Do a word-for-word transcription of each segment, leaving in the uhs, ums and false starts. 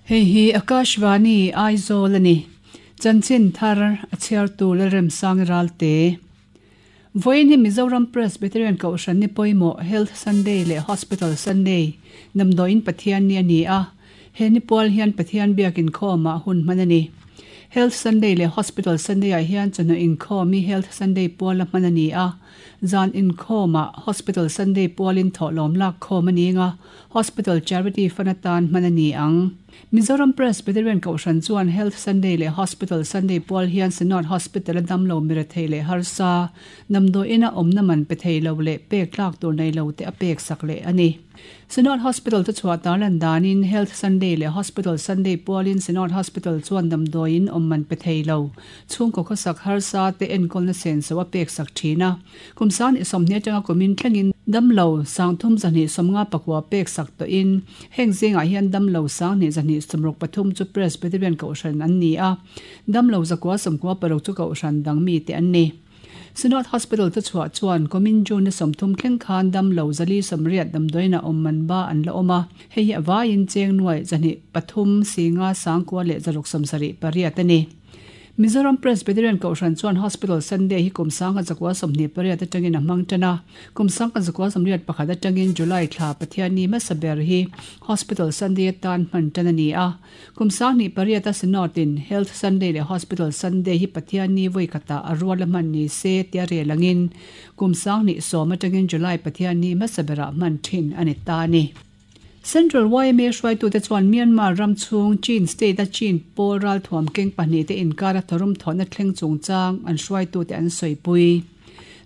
Hei hi Akashvani Aizawl ani. Chanchin thar a chhiar tu Lalremsang Ralte. Vawiin hi Mizoram Presbyterian Kohhran ni pawimawh Health Sunday leh Hospital Sunday damdawiin Pathian ni a ni a. He ni pual hian Pathian biak inkhawmah hun hman a ni. Health Sunday leh Hospital Sunday ah hian chawhnu inkhawm hi Health Sunday puala hman a ni a. Zan inkhawmah Hospital Sunday pualin thawhlawm lak khawm a ni anga Hospital Charity Fund atan hman a ni ang. Mizoram Presbyterian Kohhran chuan Health Sunday leh Hospital Sunday pual hian Synod Hospital a damlo mira thei leh harsa damdawiin a awmna man pe thei lo leh pek tlak tur nei lo te a pek sak leh a ni. Synod Hospital chu chhuah tarlan danin Health Sunday leh Hospital Sunday pualin Synod Hospital chuan damdawiin awm man pe thei lo chhungkaw khawsak harsa te enkawlna senso a pek sak thin a. Kum san i sawmhnih atanga kumin thlengin damlo sangthum zahnih sawmnga pakua pek sak tawhin heng zingah hian damlo sanghnih zahnih sawmruk pathum chu Presbyterian Kohhran an ni a. Damlo zakua sawmkua paruk chu Kohhran dang mi te an ni. Synod Hospital chu chhuah chuan kumin June sawmthum thleng khan damlo zali sawmriat damdawiin a awm man ba an la awm a. Hei hi a vaiin cheng nuai zahnih pathum singa sangkua leh zaruk sawmsarih pariat a ni. Mizoram Presbyterian Kohhran chuan Hospital Sunday hi kum sangha zakua sawmhnih pariat atangin a hmang tan a. Kum sangha zakua sawmriat pakhat atangin July thla Pathian ni hmasa ber hi Hospital Sunday atan hman tan a ni a. Kum sanghnih pariat a Synod-in Health Sunday leh Hospital Sunday hi Pathian ni vawi khatah a rual a hman ni se tia rel angin kum sanghnih sawm atangin July Pathian ni hmasa berah hman thin a ni ta a ni. Central Y M A hruaitute chuan Myanmar ram chhung Chin state a Chin pawl ral thuam keng pahnih te inkar a tharum thawhna thleng chungchang an hruaitute an sawipui.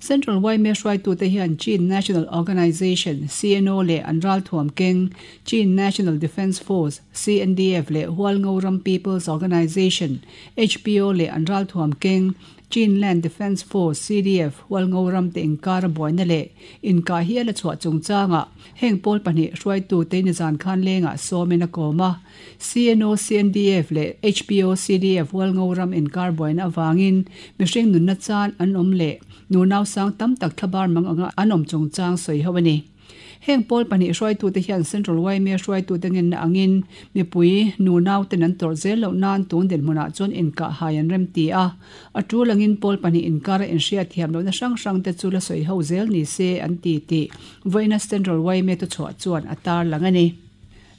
Central Y M A hruaitute hian Chin National Organization C N O leh an ral thuam keng Chin National Defence Force C N D F leh Hualngo Ram People's Organization H P O leh an ral thuam keng Chin Land Defence Force C D F Hualngo Ram te inkar a buaina leh inkah hi a la chhuah chungchanga heng pawl pahnih hruaitu te ni zan khan lengah sawmin a kawm a. C N O C N D F leh H P O C D F Hualngo Ram inkar buaina awangin mihring nunna chan an awm leh nunau sang tam tak thlabar mang anga an awm chungchang sawi ho a ni. Heng pawl pahnih hruaitute hian Central Y M A hruaitute ngenna angin mipui nunau ten an tawrh zel loh nan tun dinhmunah chuan inkah hai an rem ti a. A tul angin pawl pahnih inkar a inhriat thiam lohna hrang hrang te chu la sawi ho zel ni se an ti tih vawiina Central Y M A tu chhuah chuan a tar lang a ni.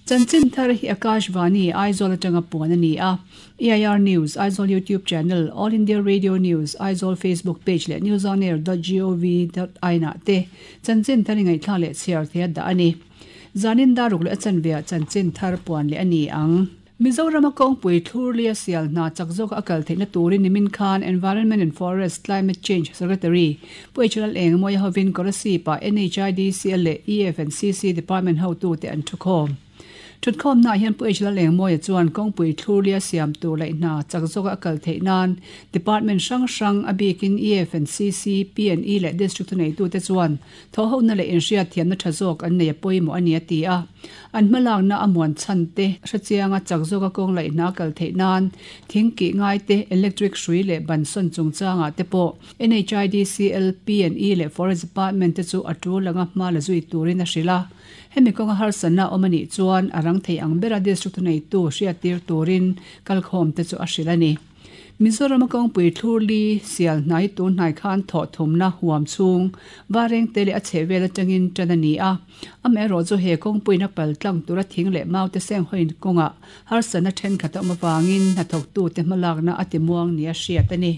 Chanchin thar hi Akashvani Aizawl atanga puan a ni a. E I R News, Aizawl YouTube channel, All India Radio News, Aizawl Facebook page leh newsonair dot gov dot in ah te chanchin thar ngaihthla leh chhiar thei a dah a ni. Zanin daruk leh a chanveah chanchin thar puan leh a ni ang. Mizoram a kawngpui thlurlia sial hna chak zawk a kal theihna turin nimin khan Environment and Forest Climate Change Secretary Pu H L Engmawia hovin Kolasib-ah N H I D C L leh E F and C C Department hotu te an thukhawm. Thutkhawm na hian Pu H L Engmawia chuan kawngpui thlurlia siam tur laih hna chak zawk a kal theih nan Department hrang hrang a bikin E F and C C, P and E leh District nei tu te chuan tho ho na leh inhriat thiamna tha zawk an nei a pawimawh a ni a ti a. An hmalak na a muan chhan te hrechianga chak zawk a kawng laih hna kal theih nan thing ki ngai te electric hrui leh ban sawn chungchangah te pawh N H I D C L, P and E leh Forest Department te chu a tul anga hma la zui turin a hrilh a. Hemi kawnga harsana awm a nih chuan a rang thei ang bera district nei tu hriat tir turin kalkhawm te chu a hrilh a ni. Mizoram a kawngpui thlurli sial hnai tun hnai khan thawh thumna huam chhung vareng te leh a chhehvel atangin tan a ni a. Amaherawh chu he kawngpuiin a pal tlang tura thing leh mau te seng hawiin kawngah harsana thenkhat a awm awangin hnathawktu te hmalakna a ti muang ni a hriat a ni.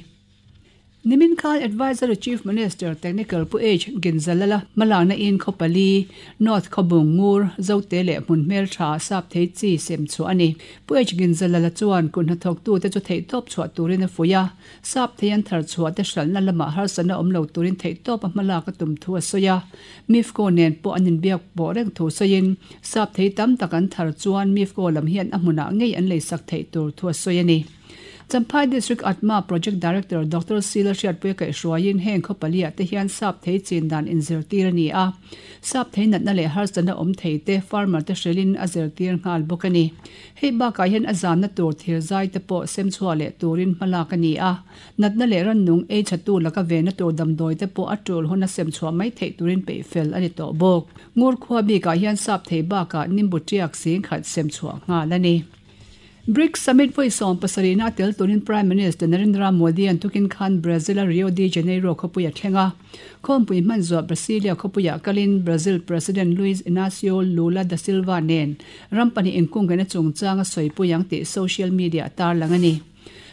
Nimin Khan Advisory Chief Minister Technical Pu H Ginzalala malakna in khawpali North Khawbung Ngur Zote leh hmun hmel tha sap thei chi sem chu ani. Pu H Ginzalala chuan kun hnathawktu te chu thei tawp chhuah turin a fuia sap thei an thar chhuah te hralna lama harsana awm lo turin thei tawp a hmalak a tum thu a sawi a. Mifco nen pawh an inbiak pawh reng thu sawiin sap thei tam tak an thar chuan Mifco lam hian a hmunah ngei an leisak theih tur thu a sawi a ni. Champhai District ATMA Project Director Doctor Sila Hriatpuia kaihhruaiin heng khaw paliah te hian sap thei chin dan inzirtir a ni a. Sap thei natna leh harsatna awm thei te farmer te hrilhin a zirtir nghal bawk a ni. Hei bakah hian a zamna tur thir zai te pawh sem chhuah leh turin hmalak a ni a. Natna leh rannung ei chhatu laka vena tur damdawi te pawh a tul huna sem chhuah mai theih turin peih fel a ni tawh bawk. Ngur khua bikah hian sap thei bakah nimbu tiak sing khat sem chhuah nghal a ni. BRICS Summit vawi sawm pasarihna a tel turin Prime Minister Narendra Modi an tukin khan Brazil a Rio de Janeiro khawpui a thleng a. Khawmpui hman zuah Brasilia khawpuiah kalin Brazil President Luiz Inacio Lula da Silva nen ram pahnih inkungkaihna chungchang a sawipui ang tih social media a tarlang a ni.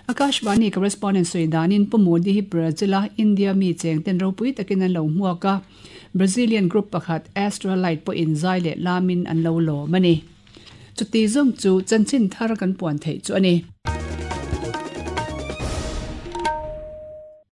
Akashvani correspondent sawi danin Pu Modi hi Brazil a India mi cheng ten ropui takin an lo hmuak a. Brazilian group pakhat Astralight pawhin zai leh lamin an lo lawm a ni. Chuti zawng chu chanchin thar kan puan theih chu a ni.